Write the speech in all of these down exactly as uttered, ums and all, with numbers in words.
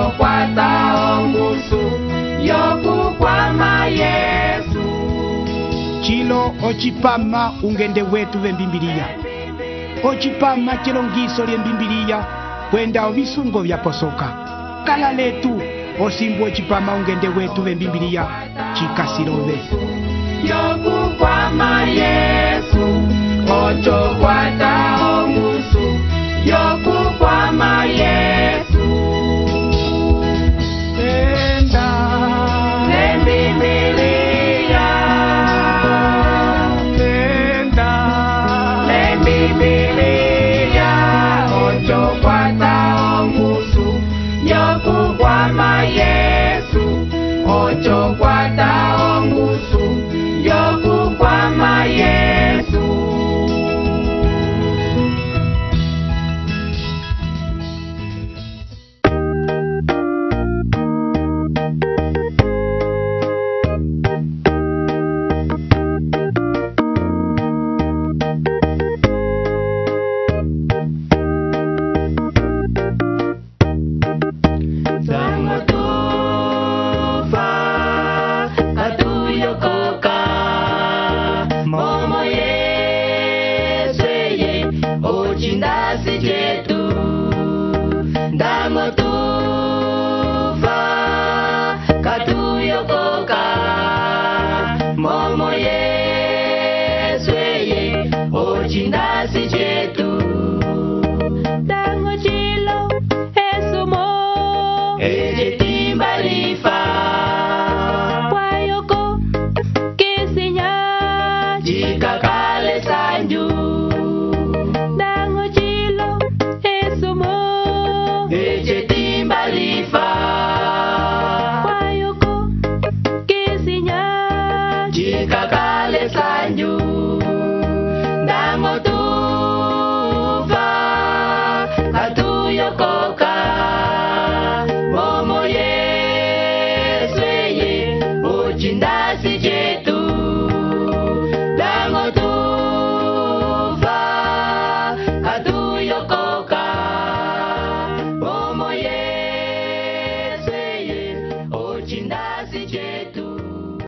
ocho kwata ongusu yokukwama Yesu. Chilo ochipama ungende wetu vembimbilia. Ochipama chilongiso lyembimbilia kwenda ovisungo vya posoka. Kala letu osimbu ochipama ungende wetu vembimbilia chikasirove. Yokukwama Yesu, ocho kwata ongusu yokukwama Yesu. Enda Lembimbilia, enda Lembimbilia, ocho kwata ongusu yokukwama Yesu, ocho kwata ongusu yokukwama Yesu.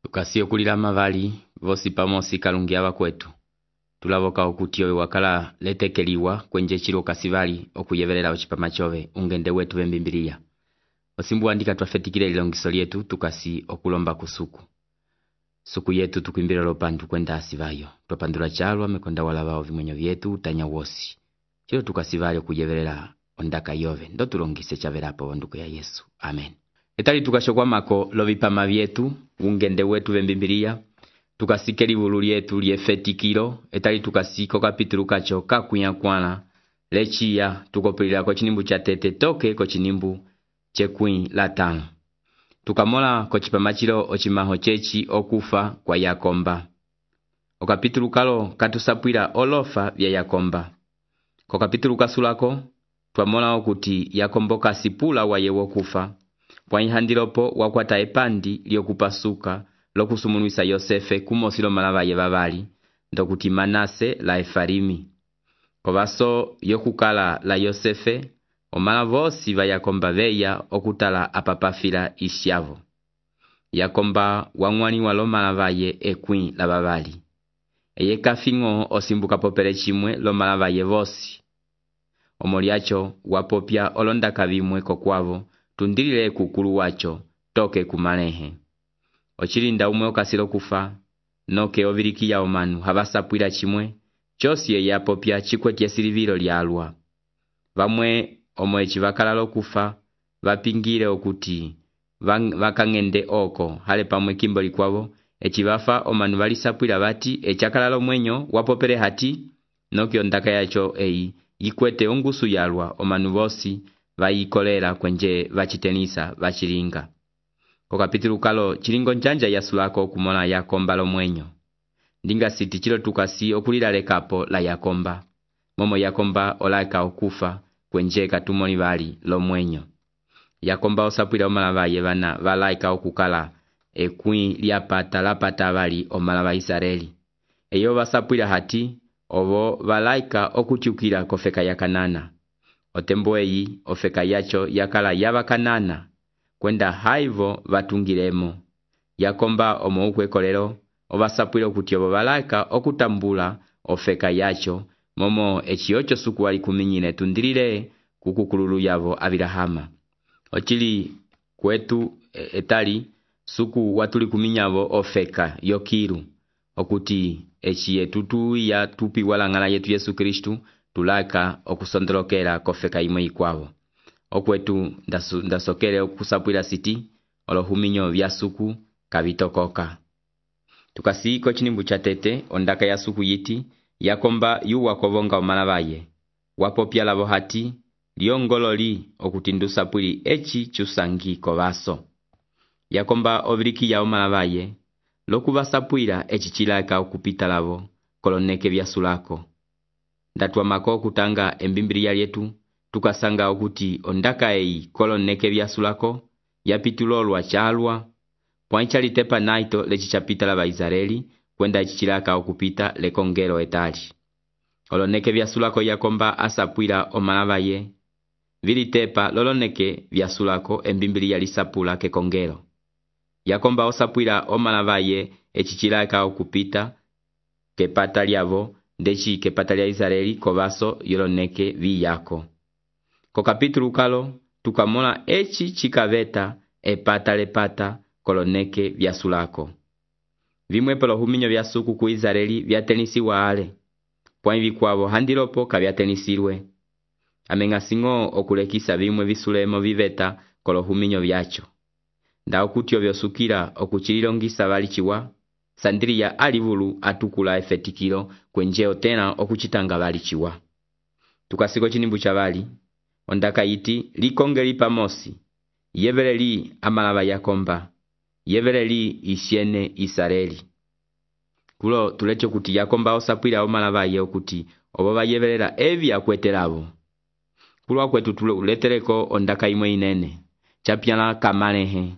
Tukasi okulila mavali vosi pamosi kalungia vakwetu. Tulavoka okuti owe wakala letekeliwa kwenje chilo kasivali okuyevelela ochipama chove ungende wetu vembimbilia. Osimbu andika twafetikile ilongiso lietu tukasi okulomba kusuku. Suku yetu tukuimbira lopandu kwenda asivayo. Twapandula chalwa mekonda walavao vimwenyo vyetu utanya wosi. Chilo tukasivali okuyevelela ondaka yove. Ndo tulongise chavelapo onduko ya Yesu. Amen. Etali tukashokwa mako lovipama vyetu ungende wetu vembimbilia. Tukasikeli vulu lietu liefetikilo. Etali tukasiko kapitulu kacho kakuyankwana. Lechia tukopilila kochinimbu cha tete toke kochinimbu chekwi latano. Tukamola kochipamachilo ochimaho chechi okufa kwa Yakomba. Okapitulu kalo katusapwila olofa vya Yakomba. Kokapitulu kasulako twamola okuti Yakombo kasipula waye wokufa. Kwa ihandilopo wakwata epandi liokupasuka lokusumunuisa Yosefe kumosilo malavaye vavali ndokuti Manase la Efarimi. Kovaso yokukala la Yosefe omala vosi va Yakomba veya okutala apapafila isyavo. Yakomba wangwani walo malavaye ekwi la vavali. Eye kafingo osimbuka popele chimwe lo malavaye vosi. Omoliacho wapopya olonda kavimwe kokwavo tundilile kukulu wacho toke kumalehe. Ochilinda umwe okasilo kufa noke oviriki ya omanu havasapwila chimwe chosi ye yapopya chikwetye silivilo lyalwa. Vamwe omwechi vakalalo kufa vapingile okuti vakangende oko hale pamwe kimboli kwavo echivafa omanu valisapwila vati echakalalo mwenyo wapopele hati noke ondaka yacho eyi yikwete ongusu yalwa omanu vosi vayikolera kwenje vachitenisa vachilinga. Kokapitulu kalo chilingo njanja yasulako kumona Yakomba lo mwenyo. Ndinga siti chilo tukasi okulila lekapo la Yakomba. Momo Yakomba olaika okufa kwenje katumoni vali lo mwenyo. Yakomba osapwila omalavaye vana valaika okukala ekwi liapata lapata vali omalava Israeli. Eyo vasapwila hati ovo valaika okuchukila kofeka ya Kanana. Otembo eyi ofeka yacho yakala yava Kanana kwenda haivo vatungilemo. Yakomba omo ukwekolero ovasapwile okuti obo balaka okutambula ofeka yacho momo echiocho suku wali kuminyine tundilile kukukululu yavo Abilahama. Ochili kwetu etali suku watuli kuminyavo ofeka yokiru okuti echi etutu ya tupi walangala yetu Yesu Kristu tulaka okusondelokela kofeka imwe ikwavo. Okwetu ndasu, ndasokele okusapwila siti olohuminyo vya suku kavitokoka. Tukasi kochinimbu cha tete ondaka ya suku yiti yakomba yu wakovonga omana baye. Wapopya lavo hati liongololi okutindu sapwili echi chusangi kovaso. Yakomba oviriki ya omana baye lokuva sapwila echi chilaka okupita lavo koloneke vya sulako. Ndatuwa mako kutanga embimbiri ya yetu tukasanga okuti ondaka ei koloneke vya sulako yapitulolwa chalwa poincha litepa naito lechi chapita lava Israeli kwenda echi chilaka okupita lekongero etali. Oloneke vya sulako yakomba asapwila omana baye vilitepa loloneke vya sulako embimbiri ya lisapula kekongero. Yakomba osapwila omana baye echi chilaka okupita kepata lyavo ndechi kepata lya Israeli kovaso yoloneke viyako. Ko kapitulu kalo tukamola echi chikaveta epata lepata koloneke vya sulako. Vimwe pelo huminyo vya suku ku Israeli vya tenisi waale. Poinvi kwavo handilopo kavya tenisirwe. Amengasingo okulekisa vimwe visulemo viveta kolo huminyo vyacho. Nda okutio vyosukira okuchililongisa valichiwa, sandiria alivulu atukula efetikilo kwenjeo tena okuchitanga valichiwa. Tukasiko chinimbu cha vali, ondaka iti likongeli pamosi, yeveleli amalava yakomba, yeveleli isiene Israeli. Kulo tulecho kuti yakomba osapwila omalava ye okuti obaba yevelela evi akwetelavo. Kulo akwetu tuletereko ondaka imwe inene, chapyala kamalehe.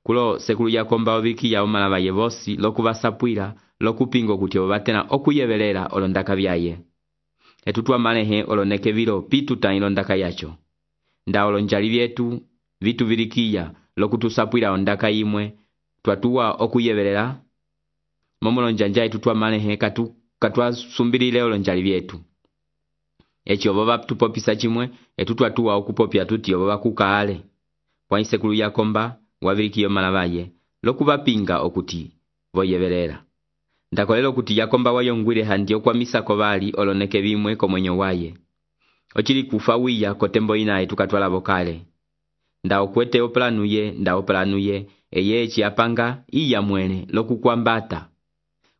Kulo sekulu yakomba oviki ya omalava ye vosi lokuva sapwila lokupingo kuti obatena okuyevelela olondaka vyaye. Etutua malehe oloneke vilo pitu ta ilondaka yacho. Nda olonjali vyetu vitu vilikia lokutusapwila ondaka imwe tuatua okuyevelela. Momolo njanja etutua malehe katu katua sumbilile olonjali vyetu. Echi obaba tupopisa chimwe etutua tua okupopia tuti obaba kukaale. Kwa sekulu yakomba waviriki omalavaye lokuva pinga okuti voyevelela. Ndakolelo kuti yakomba wayongwile handi okwamisa kovali oloneke vimwe komwenyo waye. Ochili kufa wiya kotembo inae tukatwala vokale. Nda okwete oplanuye, nda oplanuye, eye echi apanga iya mwene lokukwambata.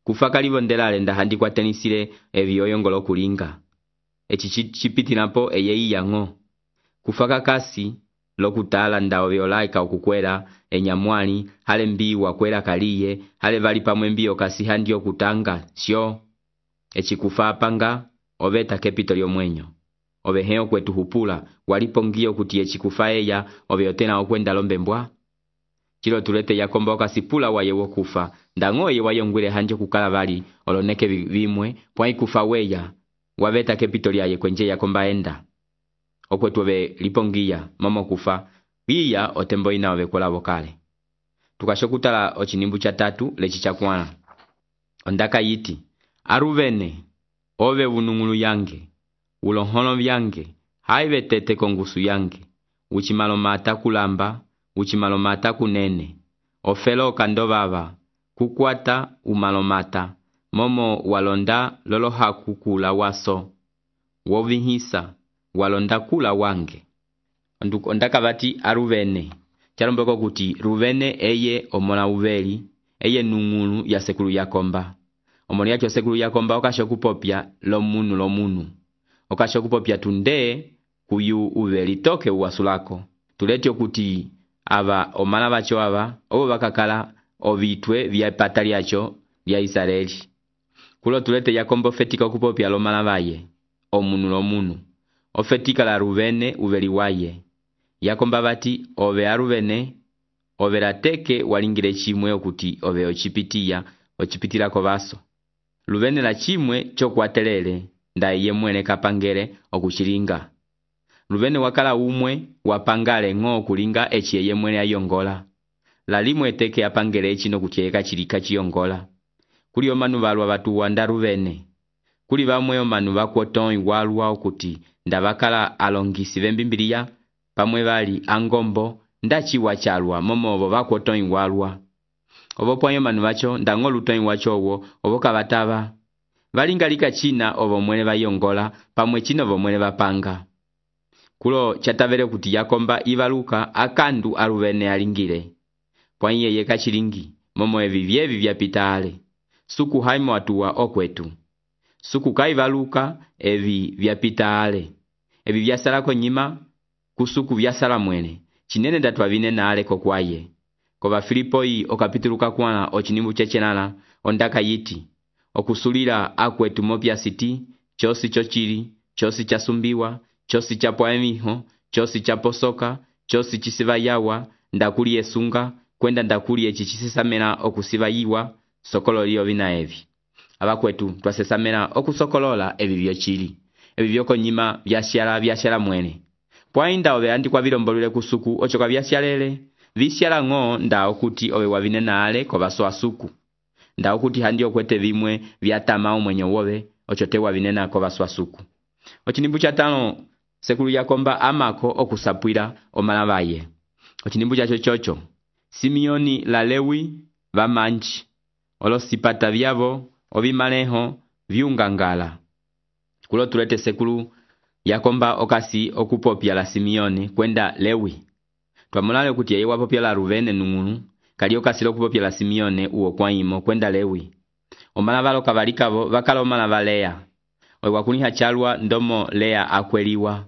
Kufa kalivo ndelale nda handi kwa tenisile evi oyongolo kulinga. Echi chipitinapo eye iya ngo. Kufa kakasi lokutala nda oviolaika okukwela enyamwali hale mbi wakwela kaliye hale vali pamwe mbio kasi handi okutanga sio. Echi kufa apanga oveta kepito lyomwenyo. Oveheo kwetu hupula walipongio kuti echi kufa eya oveotena okwenda lombembwa. Chilo tulete yakomba okasipula waye wokufa ndangoye wayongwile handi okukala vali oloneke vimwe pwai kufa weya waveta kepito lyaye kwenje yakomba enda. Okwetu ove lipongia momo kufa biya otembo ina ove kola vokale. Tukashokutala ochinimbu cha tatu lechi chakwana. Ondaka yiti Aruvene ove unungulu yange ulohono vyange haive tete kongusu yange uchimalomata kulamba uchimalomata kunene ofelo kandovava kukwata umalomata momo walonda lolohaku kula waso wovihisa walonda kula wange. Ondaka vati Aruvene chalombeko kuti Ruvene eye omona uveli eye nungulu ya sekulu yakomba. Omoni yacho sekulu yakomba okasho kupopya lomunu lomunu. Okasho kupopya tunde kuyu uveli toke uwasulako. Tuleti okuti ava omana bacho ava obo bakakala ovitwe vya patali yacho vya Israeli. Kulo tulete yakomba ofetika kupopya lomana baye omunu lomunu. Ofetika la Ruvene uveli waye. Yakomba bati ove Aruvene ove lateke walingile chimwe okuti ove ochipitiya ochipitila kovaso. Ruvene la chimwe chokwatelele nda iye mwene kapangele okuchilinga. Rubene wakala umwe wapangale ng'o kulinga echi eye mwene ayongola. Lalimwe teke apangele echi no kutyeka chilika chiyongola. Kuli omanu balwa batuwa nda Rubene. Kuli bamwe omanu bakwoton iwalwa okuti ndabakala alongisi bembimbiriya pamwe bali angombo ndachi wachalwa momo obo bakwoton iwalwa. Obo pwanyo manu bacho ndango luton iwacho owo obo kabataba. Balingalika china obo mwene bayongola pamwe chino obo mwene bapanga. Kulo chatabere kuti yakomba ibaluka akandu a Rubene alingire. Pwanye yeka chilingi momo evi vyevi vyapitale. Suku haimo watuwa okwetu. Suku kaibaluka evi vyapitale. Evi vyasalako nyima kusuku vyasala mwene. Chinene datwa vinena ale kokwaye. Koba Filipoi okapituluka kwana ochinimbu chechenala ondaka yiti. Okusulira akwetu mopya siti, chosi chochiri, chosi chasumbiwa, chosi chapwa emiho, chosi chaposoka, chosi chisiva yawa, ndakuli esunga, kwenda ndakuli echichisisa okusiva yiwa, sokolo liyo vina evi. Abakwetu twasesamena okusokolola evi vyochiri. Evi vyoko nyima vyashyala vyashyala mwene. Pwainda obe andikwa vilombolule kusuku ochoka vyashyalele. Vishyala ng'o nda okuti obe wavinena ale kobaso asuku. Nda okuti handi okwete vimwe vyatama umwenye wobe ochote wavinena kobaso asuku. Ochinimbu chatano sekulu yakomba amako okusapwira omalabaye. Ochinimbu chacho chocho. Simeoni la Lewi bamanchi. Olosipata vyavo obimaleho vyungangala. Kulo tulete sekulu yakomba okasi okupopya la Simeoni kwenda Lewi. Twamulale kuti yeye wapopya la Rubene nungunu kali okasi okupopya la Simeoni uo kwaimo kwenda Lewi. Omalabalo kabalikabo bakala omalaba Lea. Owe wakuniha chalwa ndomo Lea akweliwa.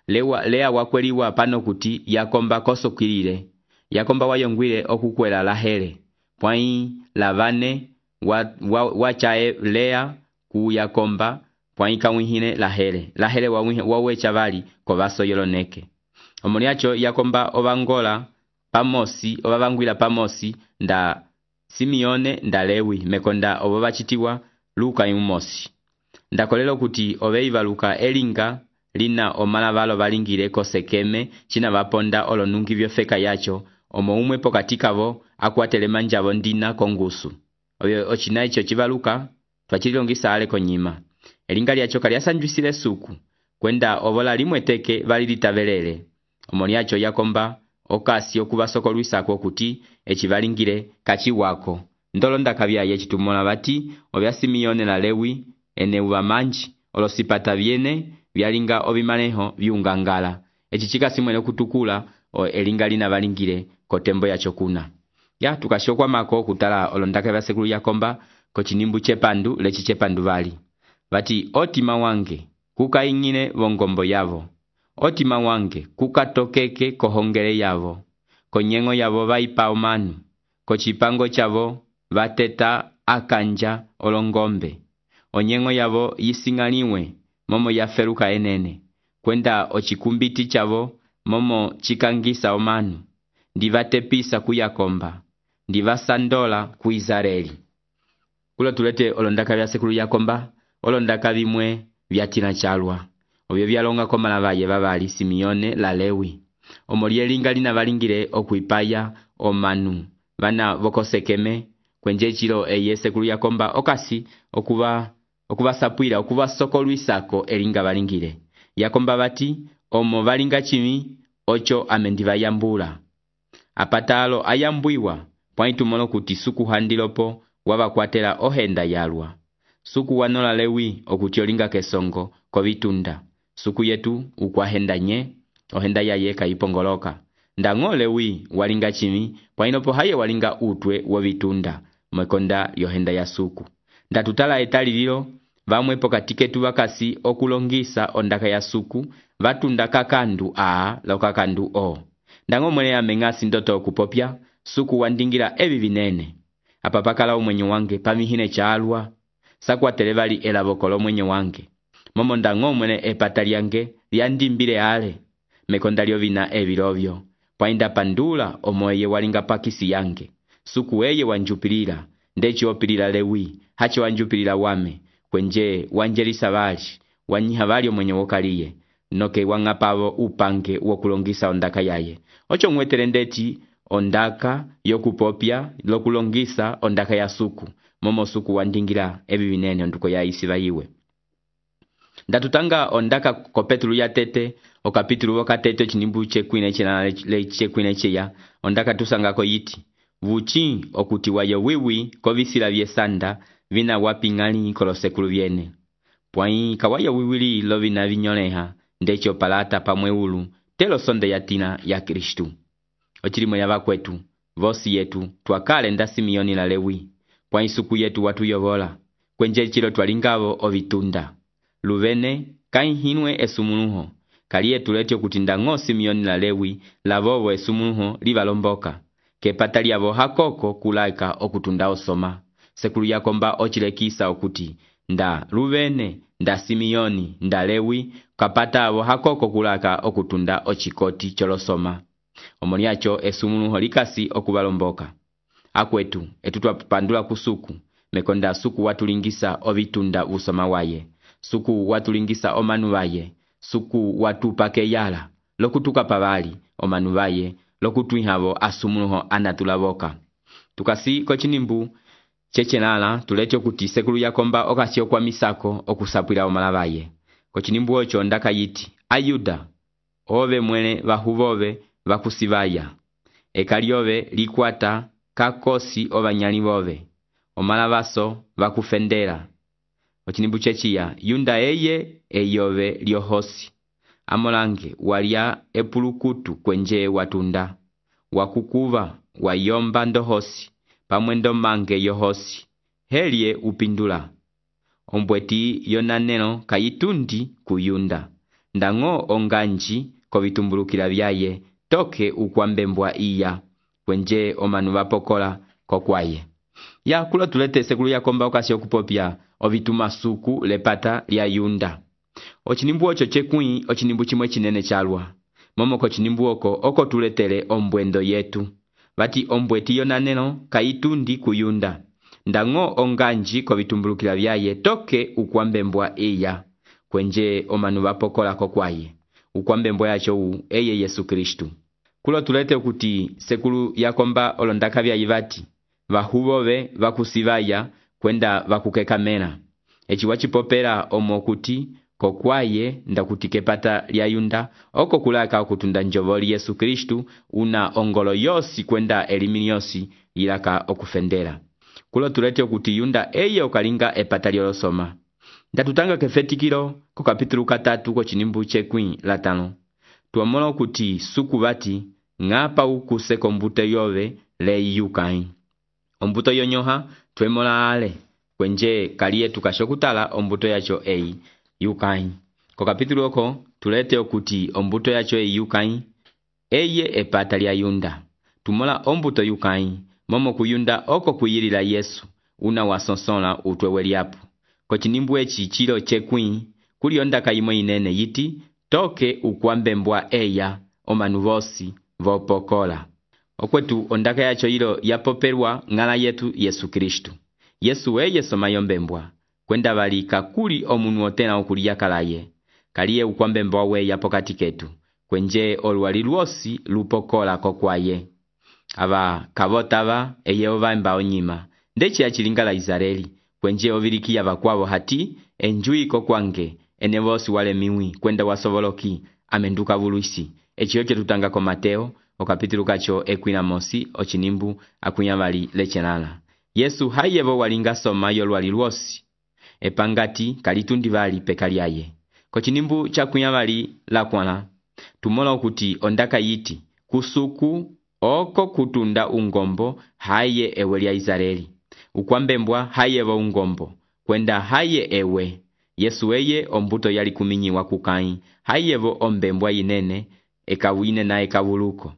Lewa Lea wakweliwa pano kuti yakomba kosokilile. Yakomba wayongwile okukwela Lahele. Pwai Lavane wachae wa Lea ku yakomba pwai kawihine Lahele. Lahele wawecha bali kobaso yoloneke. Omoliacho yakomba obangola pamosi obabangwila pamosi nda Simeone nda Lewi mekonda obo bachitiwa Luka imumosi. Ndakolelo kuti obeiva Luka elinga lina omalabalo balingire kosekeme china baponda olonungi byofeka yacho omo umwe pokatikabo akwatele manjabo ndina kongusu. Oyo ochina icho chibaluka twachilongisa ale konyima. Elinga lyacho kalyasanjwisile suku kwenda obola limwe teke balilitabelele. Omoliacho yakomba okasi okubasoko lwisako kuti echibalingire kachi wako. Ndolonda kabyaye chitumola bati obya Simeone na Lewi ene ubamanji olosipata byene byalinga obimaneho byungangala. Echichika simwene kutukula o elinga lina balingire kotembo yacho kuna. Ya tukashokwa mako kutala olondaka bya sekulu yakomba ko chinimbu chepandu lechi chepandu bali. Bati otima wange kukaingine bongombo yavo. Otima wange kukatokeke kohongere yavo. Konyengo yavo baipa omanu. Kochipango chavo bateta akanja olongombe. Onyengo yavo yisingaliwe momo yaferuka enene. Kwenda ochikumbiti chavo momo chikangisa omanu. Ndivatepisa kuyakomba. Ndivasandola ku Israeli. Kulo tulete olondaka bya sekulu yakomba. Olondaka bimwe byatina chalwa. Obyo byalonga ko malabaye babali Simeone la Lewi. Omolielinga lina balingire okuipaya omanu. Bana bokosekeme kwenje chilo eye sekulu yakomba okasi okuba okuba sapwira okuba soko lwisako elinga balingire. Yakomba bati omo balinga chimi ocho amendiva yambula. Apatalo ayambuiwa pwaitumolo kuti suku handilopo wabakwatela ohenda yalwa. Suku wanola Lewi okutiolinga kesongo kovitunda. Suku yetu ukwahenda nye ohenda ya yeka ipongoloka. Ndango Lewi walinga chimi pwainopo haye walinga utwe wovitunda mwekonda yohenda ya suku. Ndatutala etali lilo bamwe pokatiketu bakasi okulongisa ondaka ya suku batunda kakandu a lokakandu o. Ndango mwene ya mengasi ndoto okupopya suku wandingira ebi binene. Apapakala umwenye wange pamihine chalwa. Sakwa telebali elabokolo mwenye wange. Momo ndango mwene epatali yange liandimbile ale. Mekonda lio vina ebilovyo. Pwainda pandula omoye walinga pakisi yange. Suku weye wanjupilila. Ndechi opilila Lewi. Hachi wanjupilila wame. Kwenje wanjelisa bali. Wanyiha bali mwenye wokaliye. noke wang'apavo upange wokulongisa ondaka yaye. Ocho mwetere ndeti ondaka yokupopya lokulongisa ondaka ya suku. Momo suku wandingira ebi binene onduko ya isiva iwe. Ndatutanga ondaka ko Petru ya tete o kapitulu woka tete chinimbu chekwine chena le chekwine cheya. Ondaka tusangako yiti vuchi okuti wayo wiwi kovisila vyesanda vina wapingali kolosekulu vyene. Pwai kawaya wiwili lo vina vinyoleha ndecho palata pamweulu telo sonde yatina ya Kristu. Ochilimo ya vakwetu vosi yetu twakale nda Simeoni la Lewi. Pwai suku yetu watu yovola kwenje chilo twalingavo ovitunda. Luvene kainhinwe esumunuho kaliye tuletyo kutinda ngo Simeoni la Lewi lavovo esumunuho livalomboka kepata lyavo hakoko kulaika okutunda osoma. Sekulu yakomba ochilekisa okuti nda Luvene, nda Simeoni, nda Lewi kapata avo hakoko kulaka okutunda ochikoti cholosoma. Omoniacho esumunuho likasi okuvalomboka. Akwetu etutwa pandula kusuku mekonda suku watulingisa ovitunda usoma waye. Suku watulingisa omanu waye. Suku watupake yala lokutuka pavali omanu waye lokutwihavo asumunuho anatulavoka. Tukasi kochinimbu chechenala tuletyo kuti sekulu yakomba okasio kwa misako okusapwila omalavaye. Kochinimbu ocho ndaka yiti Ayuda ove mwene vahuvove vakusivaya. Ekaliove likwata kakosi ovanyali vove. Omalavaso vakufendera. Kochinimbu chechiya Yunda eye eyove lyohosi. Amolange walia epulukutu kwenje watunda. Wakukuva wayomba ndohosi. Pamwendo mange yohosi. Helie upindula. Ombweti yonaneno kayitundi kuyunda. Ndango onganji kovitumbulukila vyaye. Toke ukwambembwa iya. Kwenje omanu vapokola kokwaye. Ya kula tulete sekulu yakomba okasi okupopya ovituma suku lepata lya Yunda. Ochinimbu ocho chekui ochinimbu chimwe chinene chalwa. Momo kochinimbu oko oko tuletele ombwendo yetu. Vati ombweti yonaneno kayitundi kuyunda. Ndango onganji kovitumbulukila vyaye toke ukwambembwa iya. Kwenje omanu vapokola kokwaye. Ukwambembwa yacho u eye Yesu Kristu. Kulo tulete kuti sekulu yakomba olondaka vya yivati. Vahuvove vakusivaya kwenda vakukekamena. Echi wachipopera omokuti kokwaye ndakuti kepata lya Yunda oko kulaka okutunda njovoli Yesu Kristu una ongolo yosi kwenda elimini yosi ilaka okufendera. Kulo tulete okuti Yunda eye okalinga epata lyolosoma. Ndatutanga kefetikilo ko kapitulu katatu ko chinimbu chekwi latano. Tuamola okuti suku vati ngapa ukuse kombute yove le yukai. Ombuto yonyoha twemola ale kwenje kaliye tukashokutala ombuto yacho ei yukai. Ko kapitulu oko tulete okuti ombuto yacho ei yukai eye epata lya Yunda. Tumola ombuto yukai momo kuyunda oko kuyirila Yesu una wasonsonla utwewe lyapu. Ko chinimbu echi chilo chekwi kuli ondaka yimwe inene yiti toke ukwambembwa eya omanu vosi vopokola. Okwetu ondaka yacho ilo yapoperwa ngala yetu Yesu Kristu. Yesu eye somayombembwa kwenda valika kuli omunu otena okulia kalaye. Kaliye ukwambembwa we yapokati ketu. Kwenje olwali lwosi lupokola kokwaye. Ava kavotava eye ovamba onyima. Ndechi ya chilingala Izareli. Kwenje oviriki ya vakwavo hati enjui kokwange ene vosi wale miwi kwenda wasovoloki amenduka vuluisi. Echi yoke tutanga ko Mateo o kapitulu kacho ekwina mosi ochinimbu akunyavali lechenala. Yesu hayevo walinga soma yolwali lwosi. Epangati kalitundi vali pekalyaye. Kochinimbu chakunyavali la kwana. Tumola okuti ondaka yiti kusuku oko kutunda ungombo haye ewe lya Izareli. Ukwambembwa hayevo ungombo kwenda haye ewe. Yesu eye ombuto yali kuminyiwa kukai. Hayevo ombembwa inene ekawine na ekavuluko.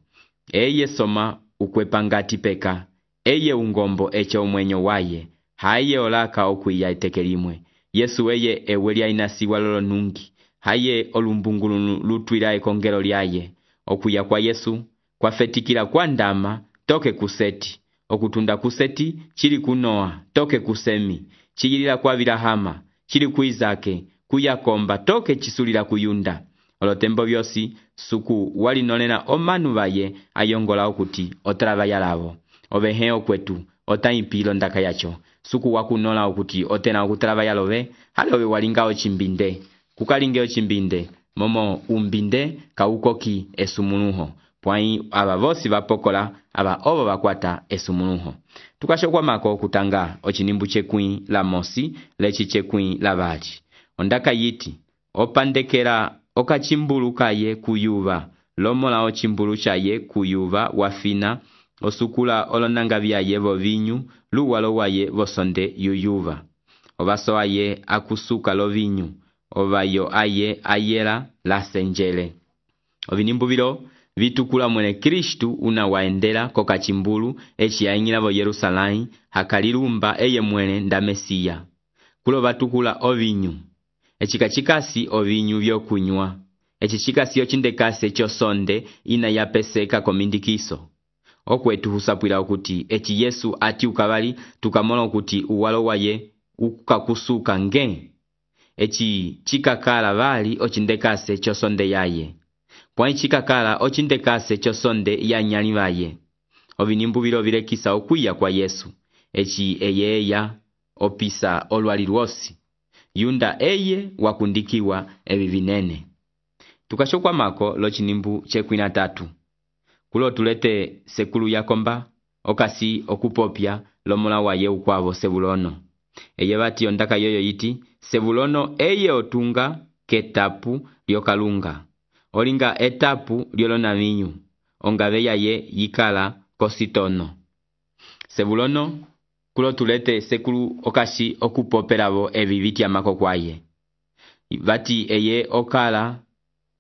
Eye soma ukwepangati peka. Eye ungombo eche umwenyo waye. Haye olaka okuya etekelimwe. Yesu eye ewe lya inasiwa lolo nungi. Haye olumbungulu lutwila ekongelo lyaye. Okuya kwa Yesu kwa fetikila kwa ndama toke kuseti. Okutunda kuseti chili kunoa toke kusemi. Chigilila kwa Vilahama chili kuizake kuyakomba toke chisulila kuyunda. olotembo byosi suku walinolena omanu baye ayongola okuti otrabaya lavo obehe okwetu otaipilo ndaka yacho suku wakunola okuti otena okutrabaya lobe halobe walinga ochimbinde kukalinge ochimbinde momo umbinde kaukoki esumunuho pwai aba bosi bapokola aba obo bakwata esumunuho tukashokwa mako kutanga ochinimbu chekwi la mosi lechi chekwi la bali ondaka yiti opandekera okachimbulu kaye kuyuba lomola ochimbulu chaye kuyuba wafina osukula olonanga byaye bo vinyu luwalo waye bosonde yuyuba obaso aye akusuka lo vinyu obayo aye ayela la senjele ovinimbu biro vitukula mwene Kristu una waendela kokachimbulu echi yaingila bo Yerusalai hakalilumba eye mwene nda Mesia kulo batukula ovinyu echikachikasi ovinyu byokunywa echichikasi ochindekase chosonde ina yapeseka komindikiso okwetu husapwila okuti echi Yesu ati ukabali tukamola okuti uwalo waye ukakusuka nge echi chikakala bali ochindekase chosonde yaye pwai chikakala ochindekase chosonde ya nyali baye ovinimbu biro bilekisa okwiya kwa Yesu echi eyeya opisa olwali lwosi yunda eye wakundikiwa ebi binene tukashokwa mako lo chinimbu chekwina tatu kulo tulete sekulu yakomba okasi okupopya lomola waye ukwabo Sebulono eye bati ondaka yoyo yiti Sebulono eye otunga ketapu lyokalunga olinga etapu lyolona vinyu ongabe yaye yikala kositono Sebulono kulo tulete sekulu okasi okupoperabo ebi bitya mako kwaye bati eye okala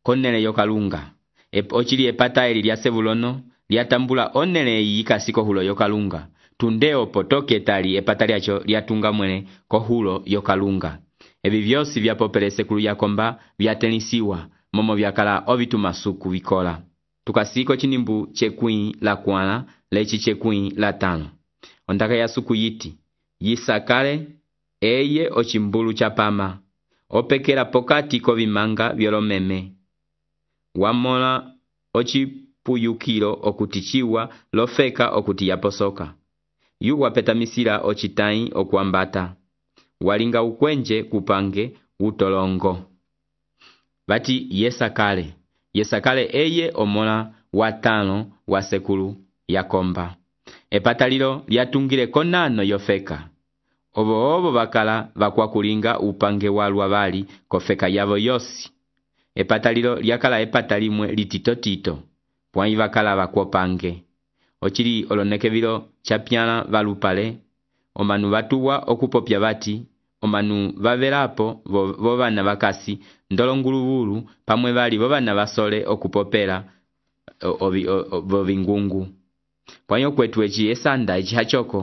konele yokalunga Ep, ochili epata eli lya Sebulono lyatambula onele yikasi kohulo yokalunga tundeo potoke tali epata lyacho lyatunga mwene kohulo yokalunga ebi byosi byapopele sekulu yakomba byatenisiwa momo byakala obitumasuku bikola tukasiko chinimbu chekwi la kwana lechi chekwi la tano ondaka ya suku yiti yisakale eye ochimbulu chapama opekera pokati kovimanga byolomeme wamola ochipuyukilo okutichiwa lofeka okuti yaposoka yuwa petamisira ochitai okuambata walinga ukwenje kupange utolongo bati yesakale yesakale eye omola watano wa sekulu yakomba epatalilo lyatungile konano yofeka obo obo bakala bakwakulinga upange walwa bali kofeka yabo yosi epatalilo lyakala epatalimwe lititotito pwai bakala bakwopange ochili olonekebilo chapyala balupale omanu batuwa okupopya bati omanu bavelapo bo bana bakasi ndolongulubulu pamwe bali bo bana basole okupopela bo bingungu pwanyo kwetu echi esanda echi hachoko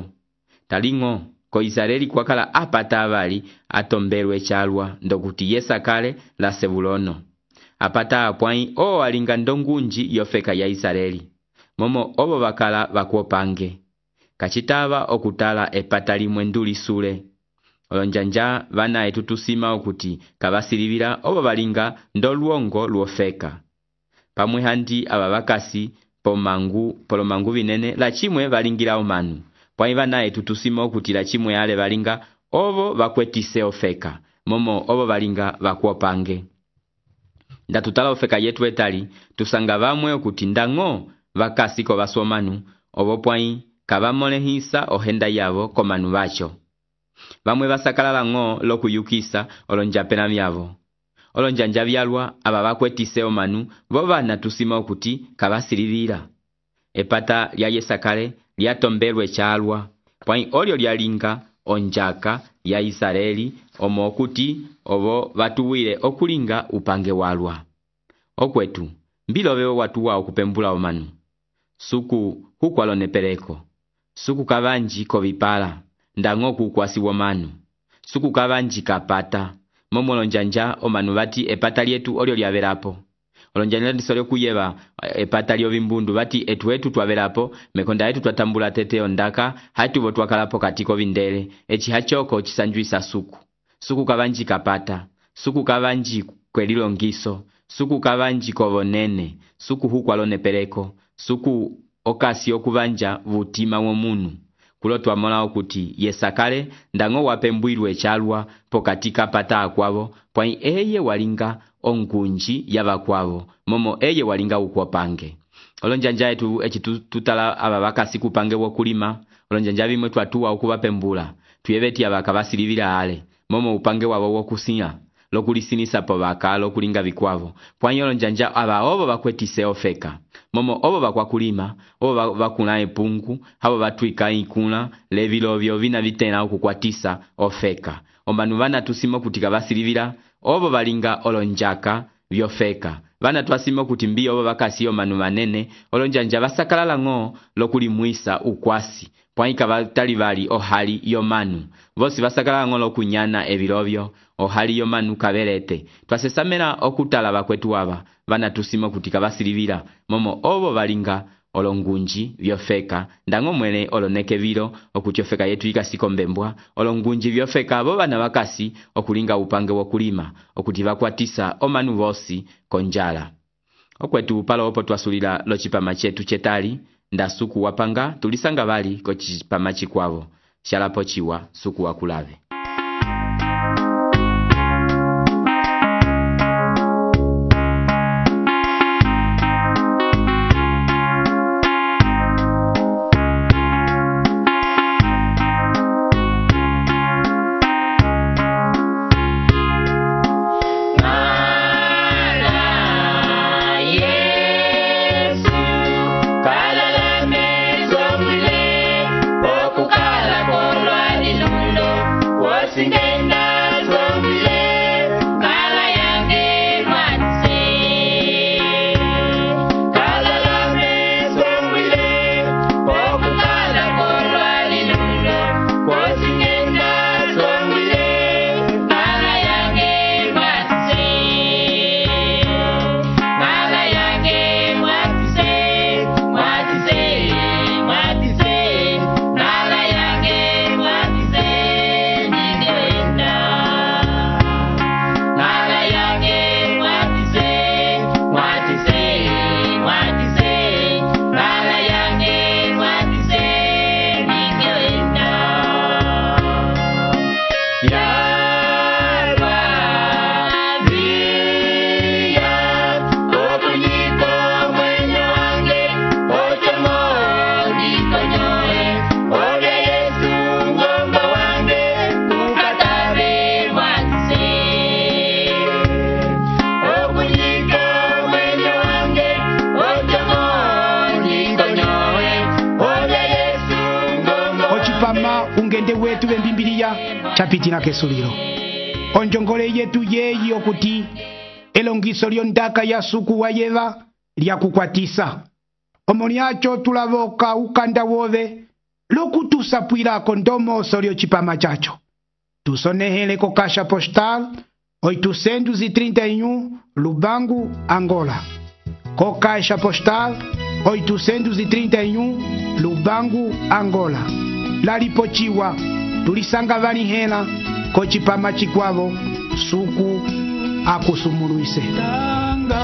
talingo ko Israeli kwakala apata abali atombelwe chalwa ndokuti yesakale la Sebulono apata apwai o alinga ndongunji yofeka ya Israeli momo obo bakala bakwopange kachitaba okutala epata limwe nduli sule olonjanja bana etutusima okuti kabasilibira obo balinga ndolwongo lwofeka pamwe handi ababakasi pomangu polomangu binene la chimwe balingira omanu pwai bana etutusima okuti la chimwe ale balinga obo bakwetise ofeka momo obo balinga bakwopange ndatutala ofeka yetu etali tusanga bamwe okuti ndango bakasi ko basomanu obo pwai kabamolehisa ohenda yabo komanu bacho bamwe basakalala ngo lokuyukisa olonjapena byabo olonjanja byalwa aba bakwetise omanu bo bana tusima okuti kabasilibira epata lya yesakale lyatombelwe chalwa pwai olyo lyalinga onjaka ya Israeli omo okuti obo batuwile okulinga upange walwa okwetu mbilobe watuwa okupembula omanu suku hukwalonepereko suku kabanji kovipala ndango kukwasi womanu suku kabanji kapata momolonjanja omanu bati epata lyetu olyo lyaberapo olonjanja ndisole kuyeba epata lyo bimbundu bati etu etu twaberapo mekonda yetu twatambula tete ondaka hatu bo twakalapo katiko bindele echi hachoko chisanjuisa suku suku kabanji kapata suku kabanji kwelilo ngiso suku kavanji kovonene, suku hukwalone peleko, suku okasi okuvanja vutima womunu. Kulo twamola okuti yesakale ndango wapembwirwe chalwa pokatika pata akwavo, pwai eye walinga ongunji yavakwavo, momo eye walinga ukwapange. Olonjanja yetu echi tutala aba bakasi kupange wokulima, olonjanja bimwe twatuwa okubapembula, tuyebeti abaka basilibira ale, momo upange wabo wokusinya, lokulisinisa po baka lokulinga bikwavo. Pwai olonjanja aba obo bakwetise ofeka. Momo obo bakwa kulima, obo bakuna epungu, habo batwika ikuna, levilovyo vina vitena okukwatisa ofeka. Omanu bana tusimo kutika basilibira, obo balinga olonjaka vyofeka. Bana twasimo kutimbi obo bakasi omanu manene, olonjanja basakalala ngo lokulimwisa ukwasi. Pwaika batali bali ohali yomanu. Vosi basakalala ngo lokunyana evilovyo, ohali yomanu kabelete. Twasesamela okutala bakwetu aba, bana tusimo kutika basilibira, momo obo balinga olongunji vyofeka, ndango mwene oloneke vilo okuchofeka yetu ikasiko mbembwa, olongunji vyofeka abo bana bakasi okulinga upange wokulima, okutiva kwatisa omanu vosi konjala. Okwetu palo opo twasulila lo chipama chetu chetali, nda suku wapanga tulisanga bali ko chipama chikwavo, shalapo chiwa suku wakulave. Ungende wetu bembimbiriya chapitina kesuliro. Onjongole yetu yeyi okuti elongiso lyondaka ya suku wa yeva lya kukwatisa. Omoniacho tulavoka ukanda wove lokutusapwila kondomo solio chipama chacho. Tusonehele ko kasha postal oitocentos e trinta e um Lubango, Angola. Co caixa postal oitocentos e trinta e um Lubango, Angola. Lalipochiwa tulisanga vani hela ko chipama chikwavo suku akusumuluise. Tanga,